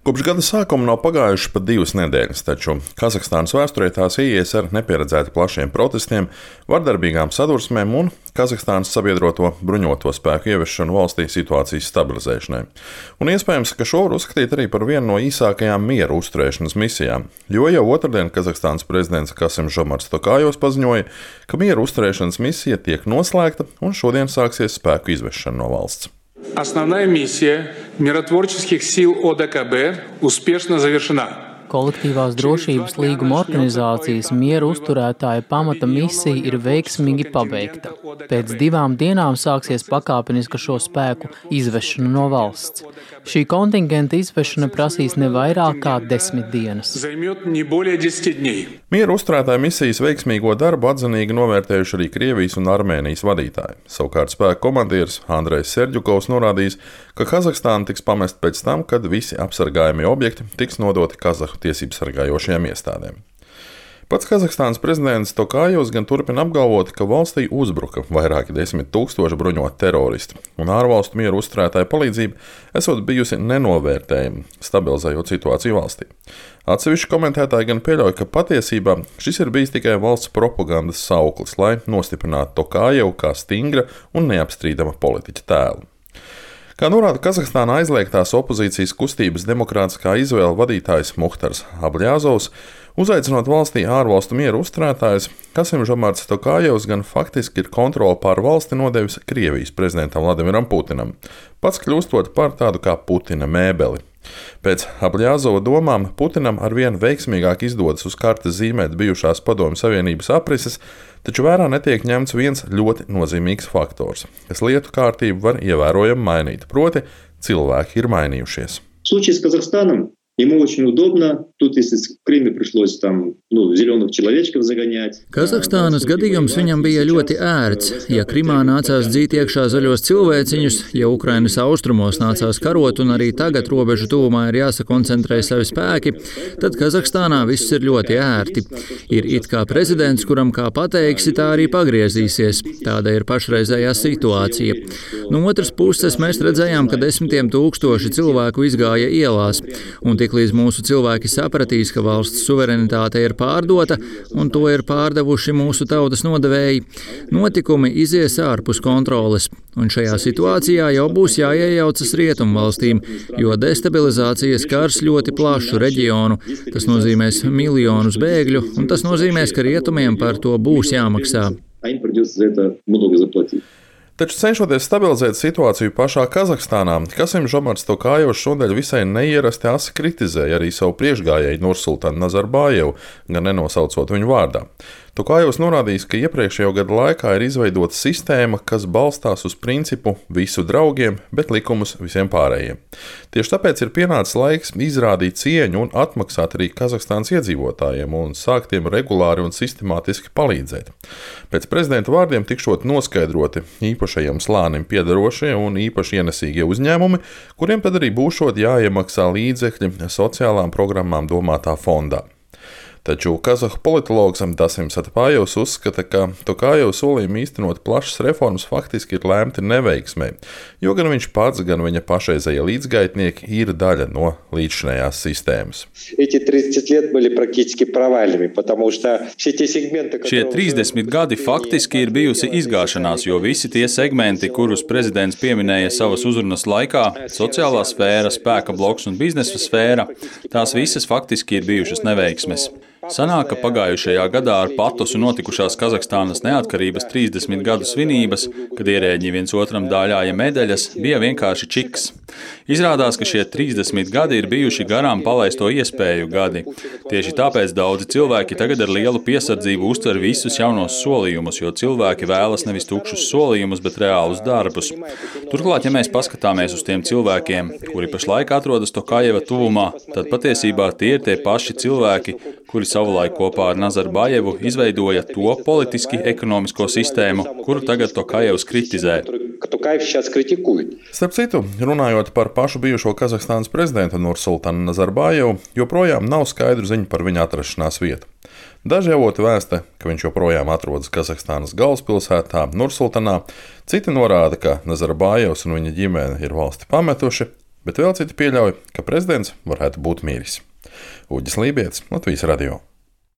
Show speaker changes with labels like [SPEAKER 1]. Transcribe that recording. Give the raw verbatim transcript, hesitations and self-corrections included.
[SPEAKER 1] Kopš gada sākuma nav pagājušas pat divas nedēļas, taču Kazahstānas vēsturē tās ieies ar nepieredzēti plašiem protestiem, vardarbīgām sadursmēm un Kazahstānas sabiedroto bruņoto spēku ieviešanu valstī situācijas stabilizēšanai. Un iespējams, ka šo var uzskatīt arī par vienu no īsākajām miera uzturēšanas misijām, jo jau otrdien Kazahstānas prezidents Kasim-Žomarts Tokājevs paziņoja, ka miera uzturēšanas misija tiek noslēgta un šodien sāksies spēku izvešana no valsts.
[SPEAKER 2] Основная миссия миротворческих сил О Д К Б успешно завершена.
[SPEAKER 3] Kolektīvās drošības līguma organizācijas mieru uzturētāja pamata misija ir veiksmīgi pabeigta. Pēc divām dienām sāksies pakāpeniska šo spēku izvešana no valsts. Šī kontingenta izvešana prasīs ne vairāk kā desmit dienas.
[SPEAKER 1] Mieru uzturētāja misijas veiksmīgo darbu atzinīgi novērtējuši arī Krievijas un Armēnijas vadītāji. Savukārt spēku komandieris Andrejs Serģukovs norādījis, ka Kazahstāna tiks pamest pēc tam, kad visi apsargājamie objekti tiks nodoti Kazahu tiesību sargājošajām iestādēm. Pats Kazahstānas prezidents Tokājevs gan turpina apgalvot, ka valstī uzbruka vairāki desmit tūkstoši bruņoti teroristi, un ārvalstu mieru uzturētāju palīdzība esot bijusi nenovērtējama, stabilizējot situāciju valstī. Atsevišķi komentētāji gan pieļauj, ka patiesībā šis ir bijis tikai valsts propagandas sauklis, lai nostiprinātu Tokājevu kā stingra un neapstrīdama politiķa tēlu. Kā norāda Kazahstānā aizliegtās opozīcijas kustības demokrātiskā izvēle vadītājs Muhtars Abļāzovs, uzaicinot valstī ārvalstu mieru uzturētājus, Kasim-Žomarts Tokājevs gan faktiski ir kontroli pār valsti nodevis Krievijas prezidentam Vladimiram Putinam, pats kļūstot par tādu kā Putina mēbeli. Pēc Abļāzova domām Putinam arvien veiksmīgāk izdodas uz kartes zīmēt bijušās Padomju Savienības aprises, taču vērā netiek ņemts viens ļoti nozīmīgs faktors, kas lietu kārtību var ievērojami mainīt, proti cilvēki ir mainījušies.
[SPEAKER 4] Ему очень удобно. Тут, если в Крыме пришлось там, ну, зеленых человечков загонять.
[SPEAKER 5] Kazahstānas gadījums viņam bija ļoti ērts. Ja Krimā nācās dzīt iekšā zaļos cilvēciņus, ja Ukrainas austrumos nācās karot un arī tagad robežu tuvumā ir jāsakoncentrē savi spēki, tad Kazahstānā viss ir ļoti ērti. Ir it kā prezidents, kuram kā pateiksi, tā arī pagriezīsies. Tāda ir pašreizējā situācija. No otras puses mēs redzējām, ka desmitiem tūkstoši cilvēku izgāja ielās. Un tiklīdz mūsu cilvēki sapratīs, ka valsts suverenitāte ir pārdota un to ir pārdevuši mūsu tautas nodevēji, notikumi izies ārpus kontroles. Un šajā situācijā jau būs jāiejaucas rietumvalstīm, jo destabilizācija skars ļoti plašu reģionu. Tas nozīmēs miljonus bēgļu, un tas nozīmēs, ka rietumiem par to būs jāmaksā.
[SPEAKER 1] Taču cenšoties stabilizēt situāciju pašā Kazahstānā, Kasim-Žomarts Tokājevs šodien visai neierasti asi kritizēja arī savu priekšgājēju Nursultanu Nazarbājevu, gan nenosaucot viņu vārdā. Tokājevs norādījis, ka iepriekšējo gadu laikā ir izveidota sistēma, kas balstās uz principu visu draugiem, bet likumus visiem pārējiem. Tieši tāpēc ir pienācis laiks izrādīt cieņu un atmaksāt arī Kazahstānas iedzīvotājiem un sākt tiem regulāri un sistemātiski palīdzēt. Pēc prezidenta vārdiem tikšot noskaidroti īpašajam slānim piedarošie un īpaši ienesīgie uzņēmumi, kuriem tad arī būšot jāiemaksā līdzekļi sociālām programmām domātā fondā. Taču kazahu politologs Dasim Satapājevs uzskata, ka Tokājeva solījumi īstenot plašas reformas faktiski ir lēmti neveiksmē, jo gan viņš pats, gan viņa pašreizējie līdzgaitnieki ir daļa no līdzšinējās sistēmas.
[SPEAKER 6] Šie trīsdesmit gadi faktiski ir bijusi izgāšanās, jo visi tie segmenti, kurus prezidents pieminēja savas uzrunas laikā, sociālā sfēra, spēka bloks un biznesa sfēra, tās visas faktiski ir bijušas neveiksmes. Sanāk, ka pagājušajā gadā ar patosu notikušās Kazahstānas neatkarības trīsdesmit gadu svinības, kad ierēģi viens otram dāļāja medaļas, bija vienkārši čiks. Izrādās, ka šie trīsdesmit gadi ir bijuši garām palaisto iespēju gadi. Tieši tāpēc daudzi cilvēki tagad ar lielu piesardzību uztver visus jaunos solījumus, jo cilvēki vēlas nevis tukšus solījumus, bet reālus darbus. Turklāt, ja mēs paskatāmies uz tiem cilvēkiem, kuri pašlaik atrodas Tokājeva tuvumā, tad patiesībā tie ir tie paši cilvēki, kuri savulaik kopā ar Nazarbājevu izveidoja to politiski ekonomisko sistēmu, kuru tagad Tokājevs kritizē.
[SPEAKER 1] Starp citu, runājot par pašu bijušo Kazahstānas prezidentu Nursultanu Nazarbājevu, joprojām nav skaidru ziņu par viņa atrašanās vietu. Daži avoti vēsta, ka viņš joprojām atrodas Kazahstānas galvaspilsētā Nursultanā, citi norāda, ka Nazarbājevs un viņa ģimene ir valsti pametuši, bet vēl citi pieļauj, ka prezidents varētu būt miris. Uģis Lībietis, Latvijas radio.